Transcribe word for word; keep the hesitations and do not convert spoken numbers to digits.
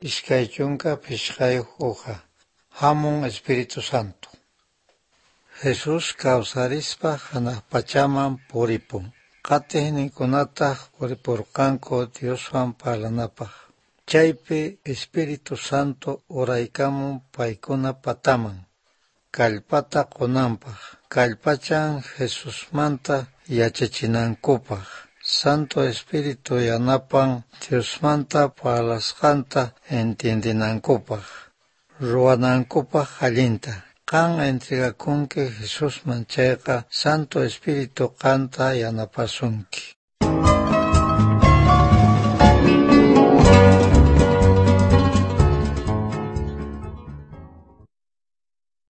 Iskay chunka phishqayoj hoja. Hamun Espíritu Santo. Jesús kawsarispa hanaq pachaman puripun. Qatiqninkunataj puriporqanku Dioswan parlanapaj. Chaypi Espíritu Santo uraykamun paykuna pataman. Kallpata qonanpaj. Kallpachan Jesusmanta yachachinankupaj. Santo Espíritu yanapan Diosmanta parlasqanta entiendenankupaj. Ruwanankupaj allinta. Qan entregakunki Jesusman chayqa Santo Espíritu qanta yanapasunki.